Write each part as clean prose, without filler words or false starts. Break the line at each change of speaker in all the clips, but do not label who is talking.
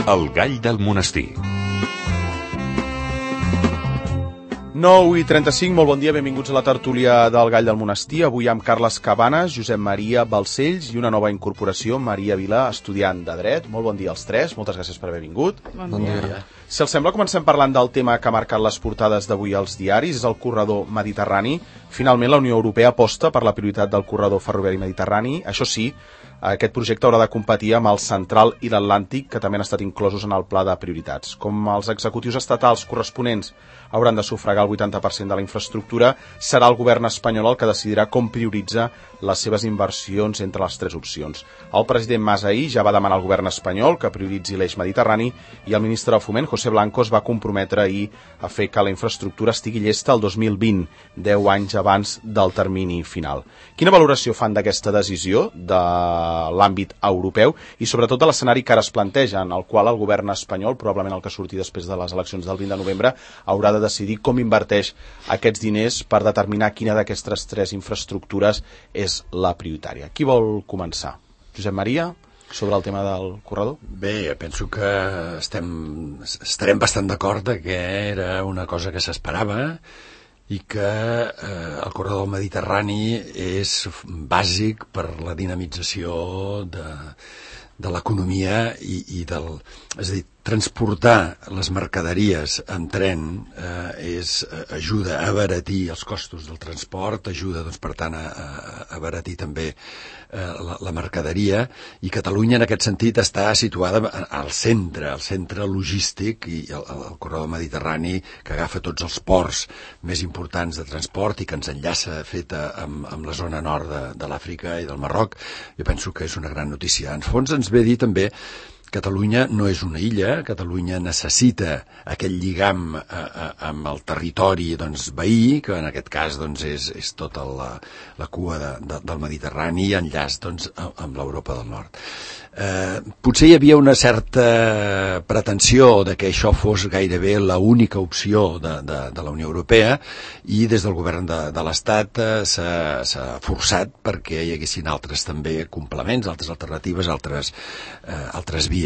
El gall del monestir.
9:35, molt bon dia, benvinguts a la tertúlia del Gall del Monestir. Avui amb Carles Cabanes, Josep Maria Balcells i una nova incorporació, Maria Vilà, estudiant de Dret. Molt bon dia als tres, moltes gràcies per haver vingut.
Bon dia.
Si els sembla, comencem parlant del tema que ha marcat les portades d'avui als diaris, és el corredor mediterrani. Finalment, la Unió Europea aposta per la prioritat del corredor ferroviari mediterrani. Això sí, aquest projecte haurà de competir amb el Central i l'Atlàntic, que també han estat inclosos en el pla de prioritats. Com els executius estatals corresponents hauran de sufragar el 80% de la infraestructura, serà el govern espanyol el que decidirà com prioritza les seves inversions entre les tres opcions. El president Mas ahir ja va demanar al govern espanyol que prioritzi l'eix mediterrani i el ministre de Foment, José Blanco, es va comprometre ahir a fer que la infraestructura estigui llesta el 2020, 10 anys abans del termini final. Quina valoració fan d'aquesta decisió de l'àmbit europeu i sobretot de l'escenari que ara es planteja, en el qual el govern espanyol, probablement el que surti després de les eleccions del 20 de novembre, haurà de decidir com inverteix aquests diners per determinar quina d'aquestes tres infraestructures és la prioritària. Qui vol començar? Josep Maria, sobre el tema del corredor?
Bé, penso que estarem bastant d'acord que era una cosa que s'esperava i que el corredor mediterrani és bàsic per la dinamització de l'economia i del... És a dir, transportar les mercaderies en tren ajuda a abaratir els costos del transport, ajuda, doncs, per tant, a abaratir també la mercaderia, i Catalunya en aquest sentit està situada al centre logístic, i el corredor mediterrani que agafa tots els ports més importants de transport i que ens enllaça amb la zona nord de l'Àfrica i del Marroc. Jo penso que és una gran notícia. En fons ens ve a dir també Catalunya no és una illa, Catalunya necessita aquell lligam amb el territori, doncs, veí, que en aquest cas, doncs, és tota la cua del Mediterrani i enllaç, doncs, amb l'Europa del Nord. Potser hi havia una certa pretensió de que això fos gairebé l'única opció de la Unió Europea, i des del govern de l'Estat s'ha forçat perquè hi haguessin altres també complements, altres alternatives, altres vies.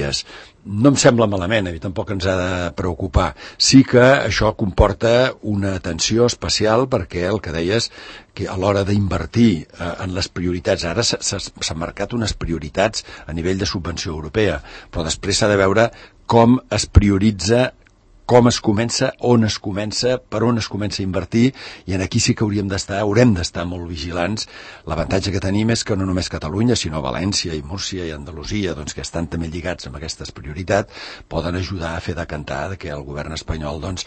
No em sembla malament, a mi tampoc ens ha de preocupar. Sí que això comporta una atenció especial perquè el que deies, que a l'hora d'invertir en les prioritats, ara s'han marcat unes prioritats a nivell de subvenció europea, però després s'ha de veure com es prioritza, com es comença, on es comença, per on es comença a invertir, i aquí sí que haurem d'estar molt vigilants. L'avantatge que tenim és que no només Catalunya, sinó València i Múrcia i Andalusia, doncs, que estan també lligats amb aquestes prioritats, poden ajudar a fer decantar que el govern espanyol, doncs,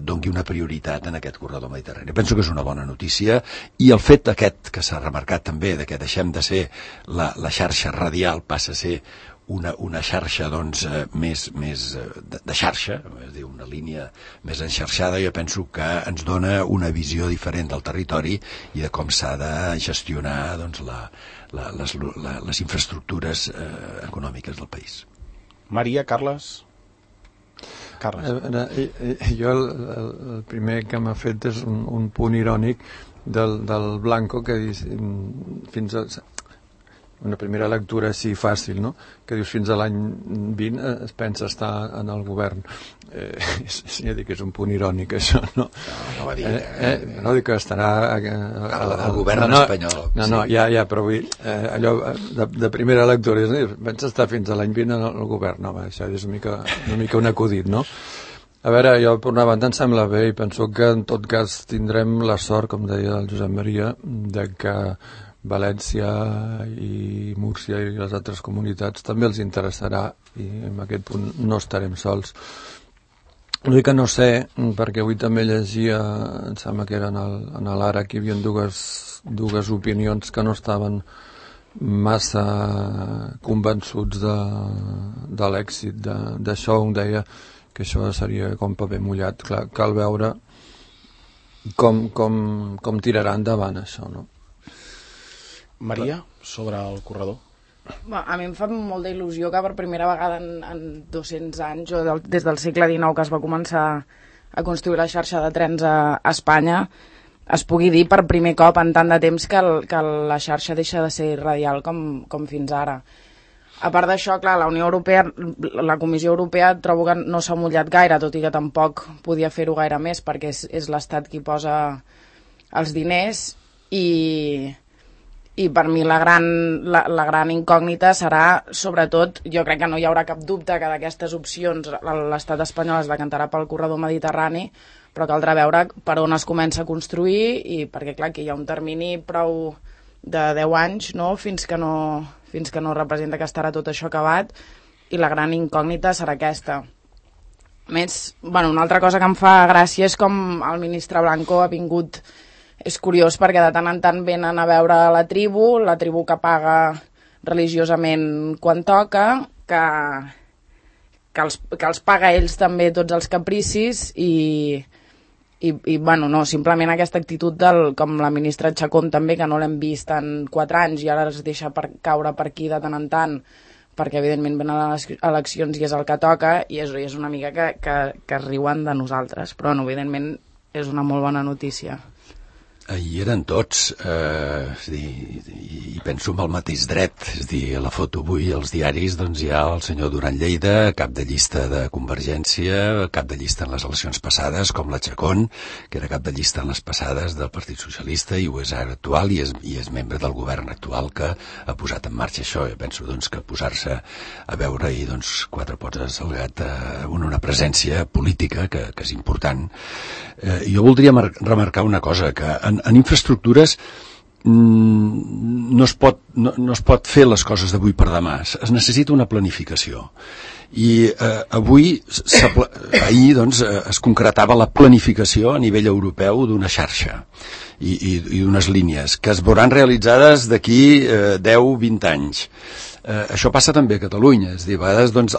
doni una prioritat en aquest corredor mediterrani. Penso que és una bona notícia, i el fet aquest que s'ha remarcat també, de que deixem de ser la xarxa radial, passa a ser una xarxa, doncs, més de xarxa, és a dir, una línia més enxarxada, jo penso que ens dona una visió diferent del territori i de com s'ha de gestionar, doncs, les infraestructures econòmiques del país.
Maria, Carles?
Jo el primer que m'ha fet és un punt irònic del Blanco, que dius fins a una primera lectura així fàcil, no? Que dius fins a l'any 20 es pensa estar en el govern. Ja dic que és un punt irònic, això, no?
No va dir...
No dic que estarà...
El govern espanyol.
No, ja, però vull... Allò de primera lectura, pensa estar fins a l'any 20 en el govern. No, això és una mica un acudit, no? A veure, jo per una banda em sembla bé, i penso que en tot cas tindrem la sort, com deia el Josep Maria, de que València i Múrcia i les altres comunitats també els interessarà, i en aquest punt no estarem sols. L'únic que no sé, perquè avui també llegia, em sembla que era en l'Ara, que hi havia dues opinions que no estaven massa convençuts de l'èxit d'això. Un deia que això seria com paper mullat. Clar, cal veure com tirarà endavant això, no?
Maria, sobre el corredor?
A mi em fa molta il·lusió que per primera vegada en 200 anys, o des del segle XIX que es va començar a construir la xarxa de trens a Espanya, es pugui dir per primer cop en tant de temps que la xarxa deixa de ser radial com fins ara. A part d'això, clar, la Unió Europea, la Comissió Europea trobo que no s'ha mullat gaire, tot i que tampoc podia fer-ho gaire més, perquè és l'Estat qui posa els diners, i per mi la gran incògnita serà, sobretot, jo crec que no hi haurà cap dubte que d'aquestes opcions l'estat espanyol es decantarà pel corredor mediterrani, però caldrà veure per on es comença a construir, i perquè clar, aquí hi ha un termini prou de 10 anys, no? fins que no representa que estarà tot això acabat, i la gran incògnita serà aquesta. A més, una altra cosa que em fa gràcia és com el ministre Blanco ha vingut. És curiós perquè de tant en tant venen a veure la tribu que paga religiosament quan toca, que els paga ells també tots els capricis, i no, simplement aquesta actitud com la ministra Chacón també, que no l'hem vist en 4 anys i ara es deixa caure per aquí de tant en tant, perquè evidentment venen les eleccions i és el que toca, i és una mica que riuen de nosaltres, però evidentment és una molt bona notícia.
Hi eren tots, i penso amb el mateix dret, és a dir, a la foto avui als diaris doncs hi ha el senyor Duran Lleida, cap de llista de Convergència, cap de llista en les eleccions passades, com la Chacón, que era cap de llista en les passades del Partit Socialista i ho és ara actual, i és membre del govern actual que ha posat en marxa això. Jo penso doncs, que posar-se a veure i doncs, 4 pots al gat, una presència política que és important. Jo voldria remarcar una cosa, que en infraestructures no es pot fer les coses d'avui per demà, es necessita una planificació, i ahir doncs, es concretava la planificació a nivell europeu d'una xarxa i d'unes línies que es veuran realitzades d'aquí 10-20 anys. Això passa també a Catalunya, és a dir, a vegades doncs,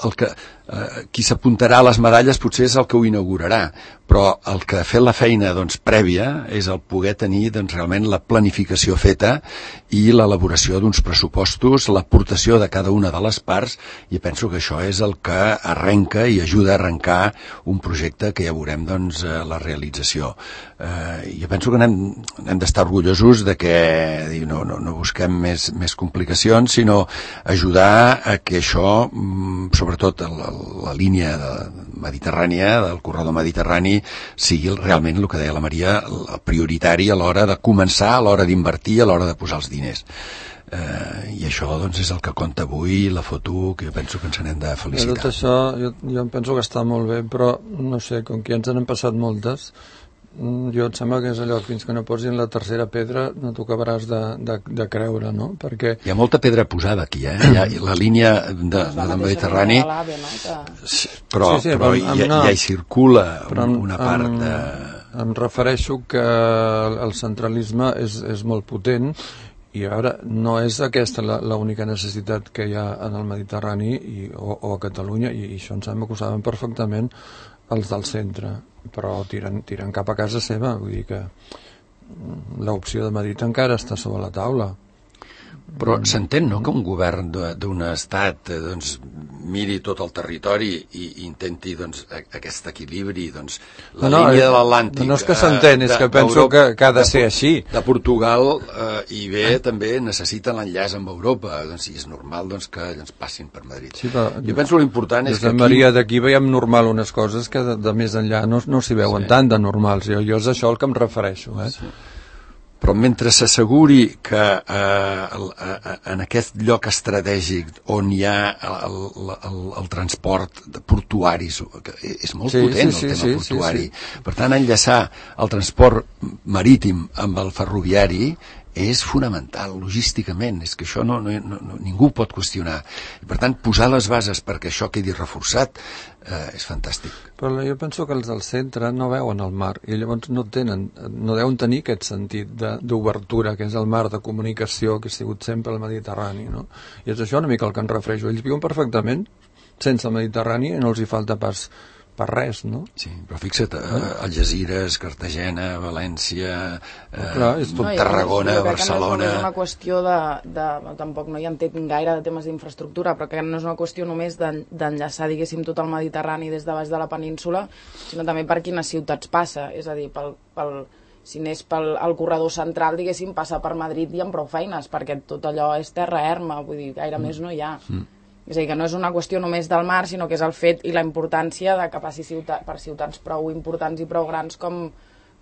qui s'apuntarà a les medalles potser és el que ho inaugurarà, però el que ha fet la feina doncs, prèvia és el poder tenir doncs, realment la planificació feta i l'elaboració d'uns pressupostos, l'aportació de cada una de les parts, i penso que això és el que arrenca i ajuda a arrencar un projecte que ja veurem doncs, la realització. Jo penso que hem d'estar orgullosos de que no busquem més complicacions, sinó ajudar a que això, sobretot la línia mediterrània, del corredor mediterrani, sigui realment el que deia la Maria, el prioritari a l'hora de començar, a l'hora d'invertir, a l'hora de posar els diners. I això doncs, és el que compta avui, la foto, que jo penso que ens n'hem de felicitar.
Tot això jo em penso que està molt bé, però no sé, com que ja ens n'han passat moltes, jo em sembla que és allò, fins que no posin la tercera pedra no t'ho acabaràs de creure, no? Perquè
hi ha molta pedra posada aquí, la línia del Mediterrani, però ja hi circula una part de...
Em refereixo que el centralisme és molt potent, i ara no és aquesta l'única necessitat que hi ha en el Mediterrani o a Catalunya, i això em sembla que ho saben perfectament els del centre, però tiren cap a casa seva, vull dir que l'opció de Madrid encara està sobre la taula.
Però s'entén, no?, que un govern d'un estat doncs, miri tot el territori i intenti doncs, aquest equilibri, doncs, línia de l'Atlàntic...
No és que s'entén, és que penso que ha de ser així.
De Portugal també necessita l'enllaç amb Europa, doncs, i és normal doncs, que ens passin per Madrid.
Sí, però,
jo penso que l'important és que aquí...
Maria, d'aquí veiem normal unes coses que de més enllà no s'hi veuen tant de normals. Jo és això al que em refereixo,
Sí. Però mentre s'asseguri que en aquest lloc estratègic on hi ha el transport de portuaris, que és molt potent el tema portuari, per tant enllaçar el transport marítim amb el ferroviari és fonamental, logísticament, és que això ningú pot qüestionar. I per tant, posar les bases perquè això quedi reforçat és fantàstic.
Però jo penso que els del centre no veuen el mar, i llavors no deuen tenir aquest sentit d'obertura, que és el mar de comunicació que ha sigut sempre el Mediterrani, no? I és això una mica el que em refereixo. Ells viuen perfectament sense el Mediterrani i no els hi falta pas per res, no?
Sí, però fixa't, Algesires, Cartagena, València,
Tarragona,
Barcelona...
No és una qüestió tampoc no hi entenc gaire de temes d'infraestructura, però que no és una qüestió només d'enllaçar, diguéssim, tot el Mediterrani des de baix de la península, sinó també per quines ciutats passa, és a dir, si anés pel corredor central, diguéssim, passa per Madrid i amb prou feines, perquè tot allò és terra erma, vull dir, gaire més no hi ha. És a dir, que no és una qüestió només del mar, sinó que és el fet i la importància de que passi per ciutats prou importants i prou grans com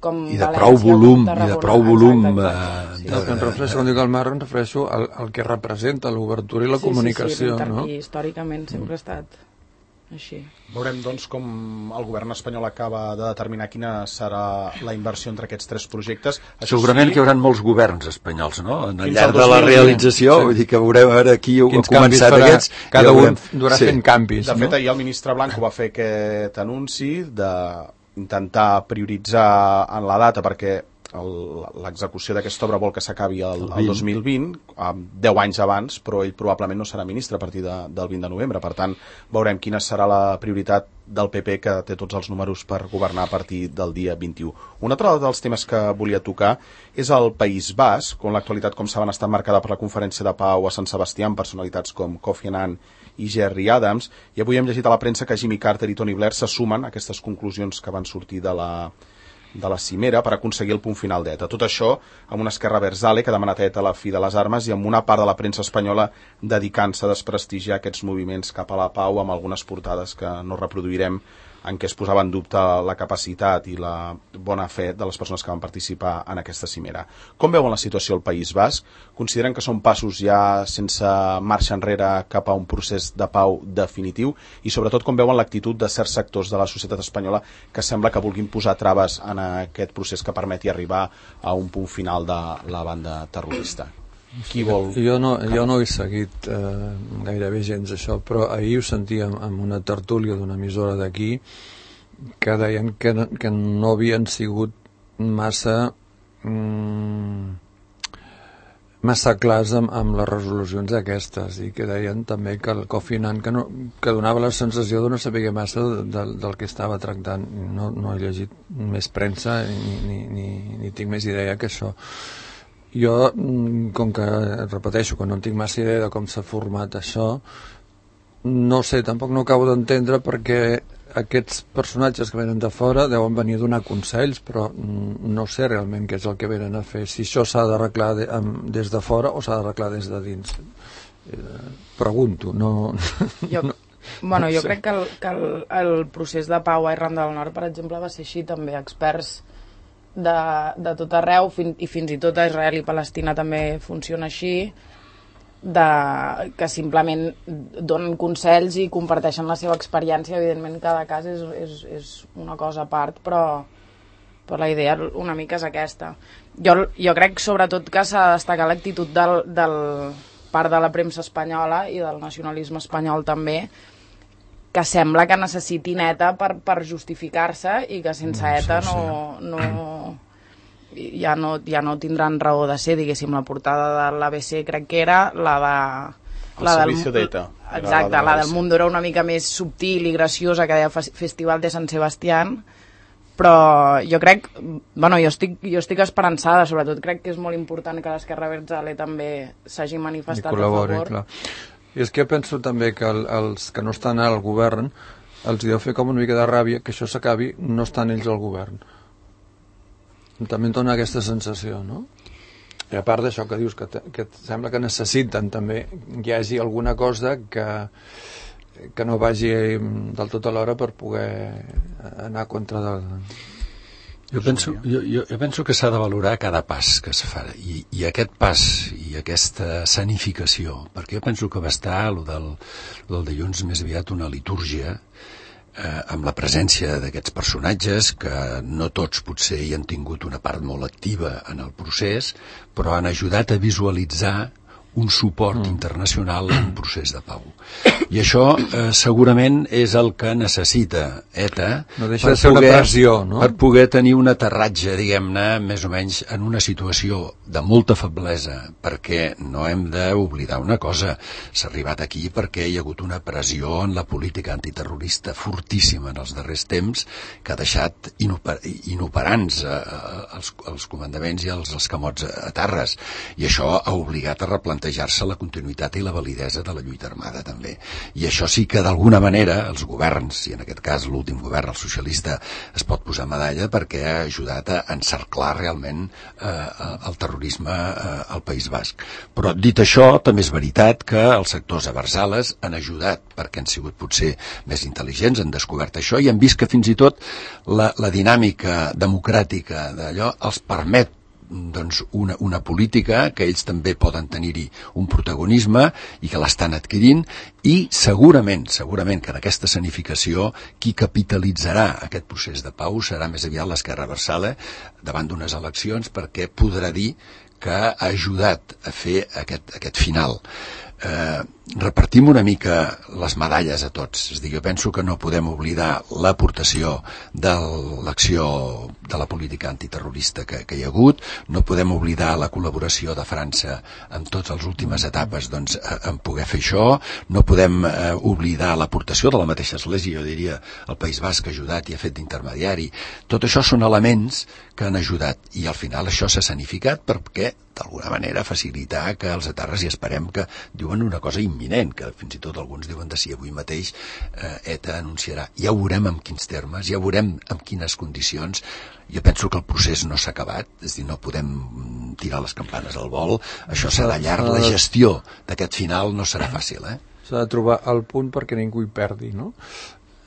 i de
València,
prou volum,
Tarragona.
i de prou volum.
Exacte.
Quan refereixo, quan dic el mar, em refereixo al que representa l'obertura i la comunicació. No?
I històricament sempre ha estat així.
Veurem, doncs, com el govern espanyol acaba de determinar quina serà la inversió entre aquests 3 projectes. Això
segurament
sí,
que hi haurà molts governs espanyols, no? Al
Fins
llarg
al
de la
2020.
realització, vull dir que veurem ara qui ha
Quins
començat
canvis farà,
aquests.
cada
ja
un
veurem.
durà fent canvis.
De fet, ahir el ministre Blanco va fer aquest anunci d'intentar prioritzar en la data, perquè l'execució d'aquesta obra vol que s'acabi el 2020, 10 anys abans, però ell probablement no serà ministre a partir del 20 de novembre. Per tant, veurem quina serà la prioritat del PP, que té tots els números per governar a partir del dia 21. Un altre dels temes que volia tocar és el País Basc, on l'actualitat, com saben, està marcada per la conferència de pau a Sant Sebastià, amb personalitats com Kofi Annan i Gerry Adams, i avui hem llegit a la premsa que Jimmy Carter i Tony Blair se sumen a aquestes conclusions que van sortir de la cimera per aconseguir el punt final d'ETA. Tot això amb una Esquerra Abertzale que ha demanat a ETA la fi de les armes i amb una part de la premsa espanyola dedicant-se a desprestigiar aquests moviments cap a la pau, amb algunes portades que no reproduirem, en què es posava en dubte la capacitat i la bona fe de les persones que van participar en aquesta cimera. Com veuen la situació al País Basc? Consideren que són passos ja sense marxa enrere cap a un procés de pau definitiu? I sobretot com veuen l'actitud de certs sectors de la societat espanyola que sembla que vulguin posar traves en aquest procés que permeti arribar a un punt final de la banda terrorista? Qui vol?
Jo no he seguit gairebé gens això, però ahir ho sentíem en una tertúlia d'una emissora d'aquí que deien que no havien sigut massa clars amb les resolucions aquestes, i que deien també que el Kofi Annan que donava la sensació de no saber massa del que estava tractant. No he llegit més premsa ni tinc més idea que això. Jo, com que, repeteixo, que no tinc massa idea de com s'ha format això, no sé, tampoc no acabo d'entendre perquè aquests personatges que venen de fora deuen venir a donar consells, però no sé realment què és el que venen a fer, si això s'ha d'arreglar des de fora o s'ha d'arreglar des de dins. Pregunto, no...
Jo crec que el procés de pau a Irlanda del Nord, per exemple, va ser així també. Experts de tot arreu, i fins i tot a Israel i Palestina també funciona així, que simplement donen consells i comparteixen la seva experiència. Evidentment cada cas és una cosa a part, però la idea una mica és aquesta. Jo crec sobretot que s'ha de destacar l'actitud del part de la premsa espanyola i del nacionalisme espanyol també, que sembla que necessitin ETA per justificar-se, i que sense ETA ja no tindran raó de ser, diguéssim. La portada de l'ABC crec que era
el servicio d'ETA.
Exacte, la del Mundo era una mica més subtil i graciosa, que deia Festival de San Sebastián, però jo crec, jo estic esperançada, sobretot crec que és molt important que l'Esquerra Abertzale també s'hagi manifestat a favor.
Clar. I és que penso també que els que no estan al govern els deu fer com una mica de ràbia que això s'acabi no estan ells al govern. També em dona aquesta sensació, no? I a part d'això que dius, que sembla que necessiten també que hi hagi alguna cosa que no vagi del tot a l'hora per poder anar contra del...
Jo penso que s'ha de valorar cada pas que se fa, i aquest pas i aquesta sanificació, perquè jo penso que va estar el del dilluns més aviat una litúrgia amb la presència d'aquests personatges que no tots potser hi han tingut una part molt activa en el procés, però han ajudat a visualitzar un suport internacional en un procés de pau. I això segurament és el que necessita ETA per poder tenir un aterratge, diguem-ne, més o menys en una situació de molta feblesa, perquè no hem d'oblidar una cosa, s'ha arribat aquí perquè hi ha hagut una pressió en la política antiterrorista fortíssima en els darrers temps, que ha deixat inoperants els comandaments i els escamots a terres, i això ha obligat a replantejar replantejar-se la continuïtat i la validesa de la lluita armada també. I això sí que d'alguna manera els governs, i en aquest cas l'últim govern, el socialista, es pot posar medalla perquè ha ajudat a encerclar realment el terrorisme al País Basc. Però dit això, també és veritat que els sectors aversales han ajudat perquè han sigut potser més intel·ligents, han descobert això i han vist que fins i tot la dinàmica democràtica d'allò els permet doncs una política que ells també poden tenir-hi un protagonisme i que l'estan adquirint i segurament que en aquesta escenificació qui capitalitzarà aquest procés de pau serà més aviat l'esquerra abertzale davant d'unes eleccions perquè podrà dir que ha ajudat a fer aquest final. Repartim una mica les medalles a tots. És a dir, jo penso que no podem oblidar l'aportació de l'acció de la política antiterrorista que hi ha hagut, no podem oblidar la col·laboració de França en totes les últimes etapes doncs, en poder fer això, no podem oblidar l'aportació de la mateixa Església, jo diria, el País Basc ha ajudat i ha fet d'intermediari. Tot això són elements que han ajudat i al final això s'ha escenificat perquè d'alguna manera facilitar que els etarres, i esperem que diuen una cosa imminent, que fins i tot alguns diuen de si avui mateix ETA anunciarà. Ja veurem en quins termes, ja veurem en quines condicions. Jo penso que el procés no s'ha acabat, és a dir, no podem tirar les campanes al vol, això serà llarg, la gestió d'aquest final no serà fàcil.
S'ha de trobar el punt perquè ningú hi perdi, no?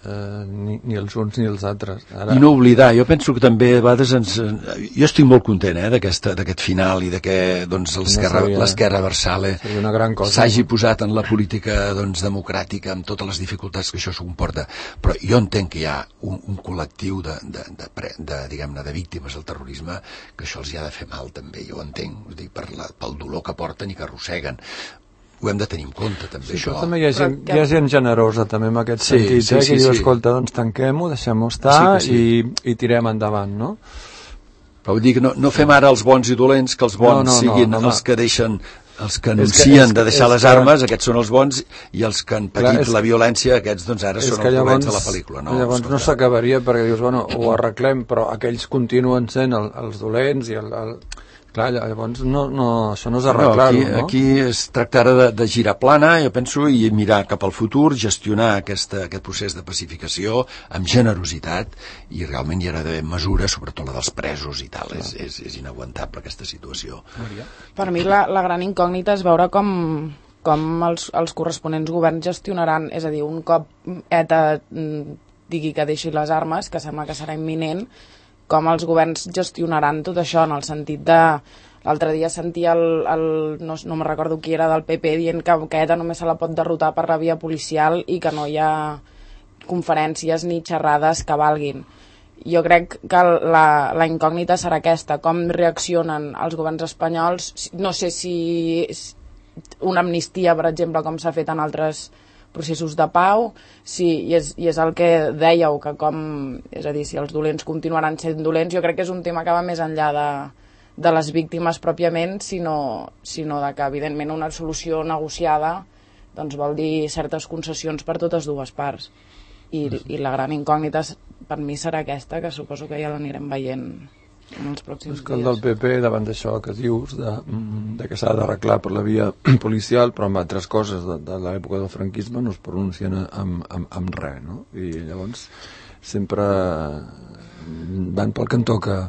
Ni els uns ni els altres.
I no oblidar, jo penso que també a vegades jo estic molt content d'aquest final i de que doncs, l'esquerra abertzale s'hagi posat en la política doncs, democràtica amb totes les dificultats que això comporta, però jo entenc que hi ha un col·lectiu de víctimes del terrorisme que això els hi ha de fer mal també, jo ho entenc, pel dolor que porten i que arrosseguen. Ho hem de tenir en compte, també,
sí,
això.
Però també hi ha gent generosa, també, en aquest sentit, que diu, escolta, doncs tanquem-ho, deixem-ho estar i tirem endavant, no?
Però vull dir que no fem ara els bons i dolents, que els bons siguin els que deixen, els que anuncien de deixar les armes, aquests són els bons, i els que han patit la violència, aquests, doncs, ara són els dolents de la pel·lícula.
Llavors no s'acabaria, perquè dius, bueno, ho arreglem, però aquells continuen sent els dolents i Clar, llavors això no és arreglar-ho, no?
Aquí es tracta ara de girar plana, jo penso, i mirar cap al futur, gestionar aquest procés de pacificació amb generositat, i realment hi ha d'haver mesures, sobretot la dels presos i tal. És inaguantable aquesta situació.
Per mi la gran incògnita és veure com els corresponents governs gestionaran, és a dir, un cop ETA digui que deixi les armes, que sembla que serà imminent, com els governs gestionaran tot això, en el sentit de... L'altre dia sentia no me recordo qui era del PP dient que ETA només se la pot derrotar per la via policial i que no hi ha conferències ni xerrades que valguin. Jo crec que la incògnita serà aquesta, com reaccionen els governs espanyols, no sé si una amnistia, per exemple, com s'ha fet en altres processos de pau, sí, i és el que dèieu, que és a dir, si els dolents continuaran sent dolents, jo crec que és un tema que va més enllà de les víctimes pròpiament, sinó de que, evidentment, una solució negociada doncs vol dir certes concessions per totes dues parts. I la gran incògnita per mi serà aquesta, que suposo que ja l'anirem veient en els pròxims dies.
El del PP, davant d'això que dius, de que s'ha d'arreglar per la via policial, però amb altres coses de l'època del franquisme no es pronuncien amb res, no? I llavors sempre van pel cantó que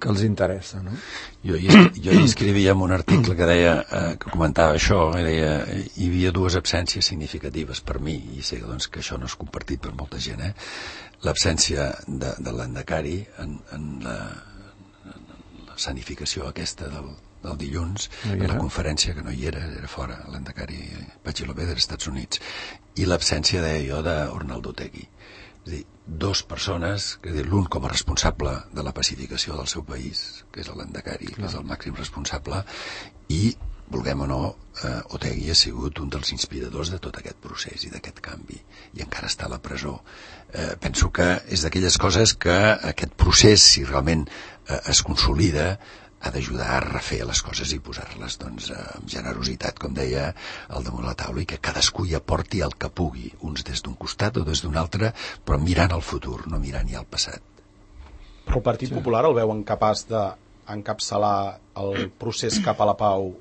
els interessa, no?
Jo hi escrivia en un article que deia, que comentava això, que deia, hi havia dues absències significatives per mi, i sé doncs, que això no és compartit per molta gent, l'absència de l'Endacari en la escenificació aquesta del dilluns, en la conferència, que no hi era fora, l'Endacari Pachilobé dels Estats Units, i l'absència, deia jo, d'Ornaldo Otegi. És a dir, dues persones, l'un com a responsable de la pacificació del seu país, que és l'Endacari, que és el màxim responsable, i, vulguem o no, Otegi ha sigut un dels inspiradors de tot aquest procés i d'aquest canvi, i encara està a la presó. Penso que és d'aquelles coses que aquest procés, si realment es consolida, ha d'ajudar a refer les coses i posar-les doncs, amb generositat, com deia, al damunt la taula, i que cadascú hi aporti el que pugui, uns des d'un costat o des d'un altre, però mirant al futur, no mirant ja al passat.
Però el Partit Popular el veuen capaç d'encapçalar el procés cap a la pau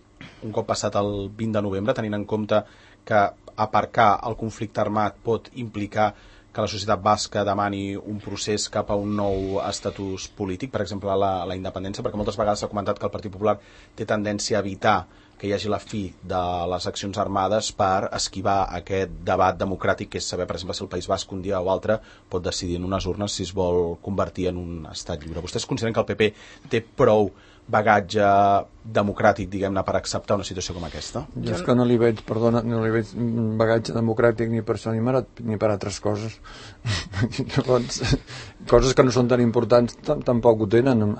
un cop passat el 20 de novembre, tenint en compte que aparcar el conflicte armat pot implicar que la societat basca demani un procés cap a un nou estatus polític, per exemple la independència, perquè moltes vegades s'ha comentat que el Partit Popular té tendència a evitar que hi hagi la fi de les accions armades per esquivar aquest debat democràtic, que és saber, per exemple, si el País Basc un dia o altre pot decidir en unes urnes si es vol convertir en un estat lliure. Vostès consideren que el PP té prou bagatge democràtic, diguem-ne, per acceptar una situació com aquesta?
Jo és que no li veig, perdona, no li veig bagatge democràtic ni per això ni per altres coses. Llavors, coses que no són tan importants tampoc ho tenen.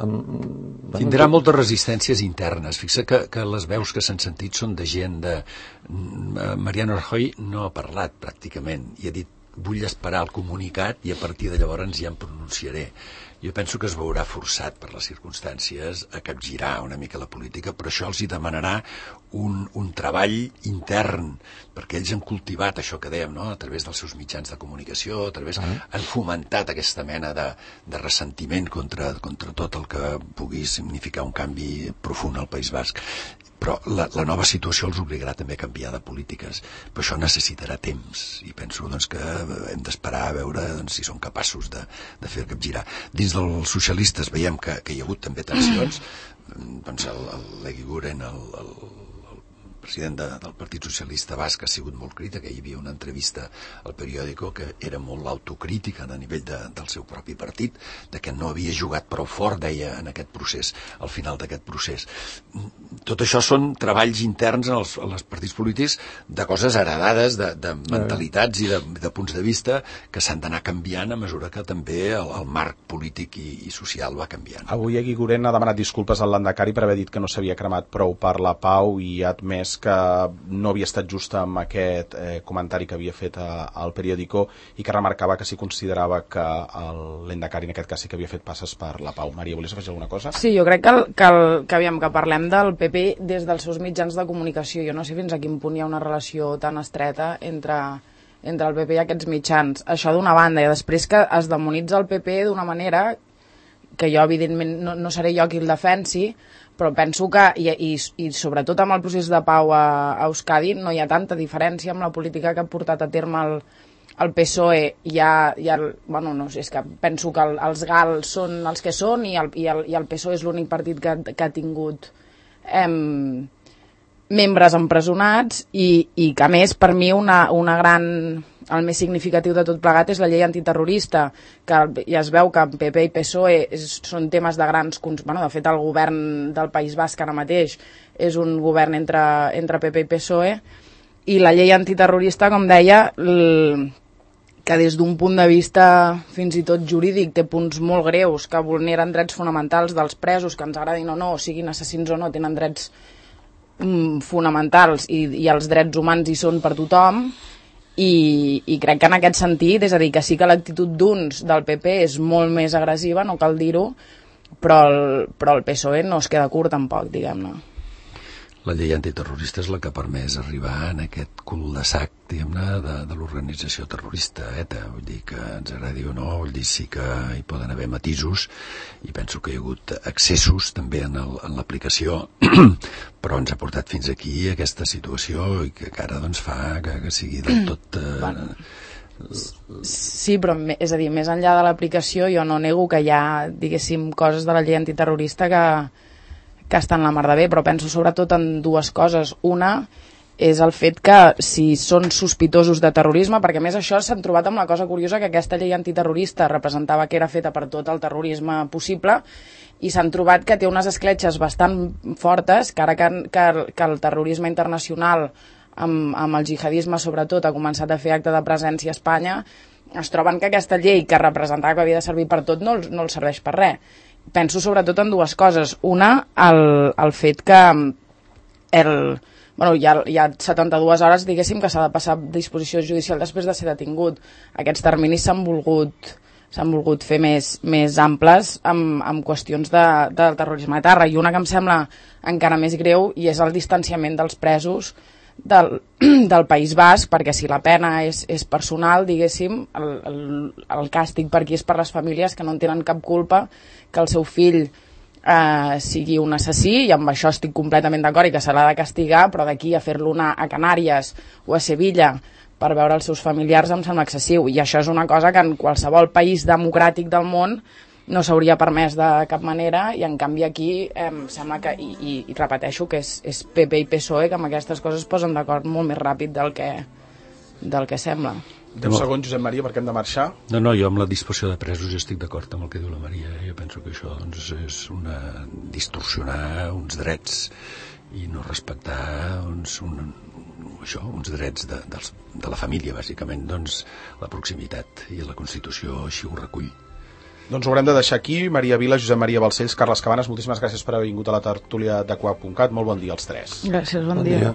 Tindrà moltes resistències internes. Fixa que les veus que s'han sentit són de gent de... Mariano Rajoy no ha parlat pràcticament i ha dit vull esperar el comunicat i a partir de llavors ja em pronunciaré. Jo penso que es veurà forçat per les circumstàncies a capgirar una mica la política, però això els hi demanarà un treball intern, perquè ells han cultivat això que dèiem, no? A través dels seus mitjans de comunicació, han fomentat aquesta mena de ressentiment contra tot el que pugui significar un canvi profund al País Basc. Però la nova situació els obligarà també a canviar de polítiques, però això necessitarà temps i penso que hem d'esperar a veure si són capaços de fer capgirar. Dins dels socialistes veiem que hi ha hagut també tensions, l'Eguiguren, el president del Partit Socialista Basc, ha sigut molt crític. Hi havia una entrevista al periòdico que era molt autocrítica a nivell del seu propi partit, de que no havia jugat prou fort, deia, en aquest procés, al final d'aquest procés. Tot això són treballs interns als partits polítics de coses heredades, de mentalitats i de punts de vista que s'han d'anar canviant a mesura que també el marc polític i social va canviant.
Avui Eguiguren ha demanat disculpes al Lehendakari per haver dit que no s'havia cremat prou per la pau i ha admès que no havia estat just amb aquest comentari que havia fet al periòdico i que remarcava que s'hi considerava que l'Endacari en aquest cas sí que havia fet passes per la pau. Maria, volies afegir alguna cosa?
Sí, jo crec que parlem del PP des dels seus mitjans de comunicació. Jo no sé fins a quin punt hi ha una relació tan estreta entre el PP i aquests mitjans. Això d'una banda, i després que es demonitza el PP d'una manera que jo evidentment no seré jo qui el defensi, però penso que, i sobretot amb el procés de pau a Euskadi, no hi ha tanta diferència amb la política que ha portat a terme el PSOE. Bueno, no sé, és que penso que els GAL són els que són i el PSOE és l'únic partit que ha tingut membres empresonats i que a més per mi el més significatiu de tot plegat és la llei antiterrorista, que ja es veu que PP i PSOE són temes de grans... de fet el govern del País Basc ara mateix és un govern entre PP i PSOE, i la llei antiterrorista, com deia, que des d'un punt de vista fins i tot jurídic té punts molt greus, que vulneren drets fonamentals dels presos, que ens agradin o no, siguin assassins o no, tenen drets fonamentals i els drets humans hi són per tothom, i crec que en aquest sentit, és a dir, que sí que l'actitud d'uns del PP és molt més agressiva, no cal dir-ho, però el PSOE no es queda curt tampoc, diguem-ne.
La llei antiterrorista és la que ha permès arribar en aquest cul de sac, diguem-ne, de l'organització terrorista ETA. Vull dir que ens agradi o no, vull dir sí que hi poden haver matisos i penso que hi ha hagut excessos també en l'aplicació, però ens ha portat fins aquí aquesta situació i que ara doncs fa que sigui del tot...
Sí, però és a dir, més enllà de l'aplicació jo no nego que hi ha, diguéssim, coses de la llei antiterrorista que estan la mar de bé, però penso sobretot en dues coses. Una és el fet que si són sospitosos de terrorisme, perquè a més això s'han trobat amb la cosa curiosa que aquesta llei antiterrorista representava que era feta per tot el terrorisme possible i s'han trobat que té unes escletxes bastant fortes, que ara que el terrorisme internacional amb el jihadisme sobretot ha començat a fer acte de presència a Espanya, es troben que aquesta llei que representava que havia de servir per tot no els serveix per res. Penso sobretot en dues coses. Una, el fet que hi ha 72 hores, diguéssim, que s'ha de passar a disposició judicial després de ser detingut. Aquests terminis s'han volgut fer més amples amb qüestions del terrorisme de terra. I una que em sembla encara més greu i és el distanciament dels presos del País Basc, perquè si la pena és personal, diguéssim, el càstig per aquí és per les famílies que no en tenen cap culpa que el seu fill sigui un assassí, i amb això estic completament d'acord i que se l'ha de castigar, però d'aquí a fer-lo anar a Canàries o a Sevilla per veure els seus familiars em sembla excessiu, i això és una cosa que en qualsevol país democràtic del món no s'hauria permès de cap manera, i en canvi aquí sembla que, i repeteixo que és PP i PSOE que amb aquestes coses es posen d'acord molt més ràpid del que sembla.
10 segons, Josep Maria, perquè hem de marxar.
No, jo amb la dispersió de presos estic d'acord amb el que diu la Maria. Jo penso que això doncs, és distorsionar uns drets i no respectar uns drets de la família, bàsicament, doncs la proximitat, i la Constitució així ho recull.
Doncs ho haurem de deixar aquí. Maria Vila, Josep Maria Balcells, Carles Cabanes, moltíssimes gràcies per haver vingut a la tertúlia de Coap.cat. Molt bon dia als tres.
Gràcies, bon dia.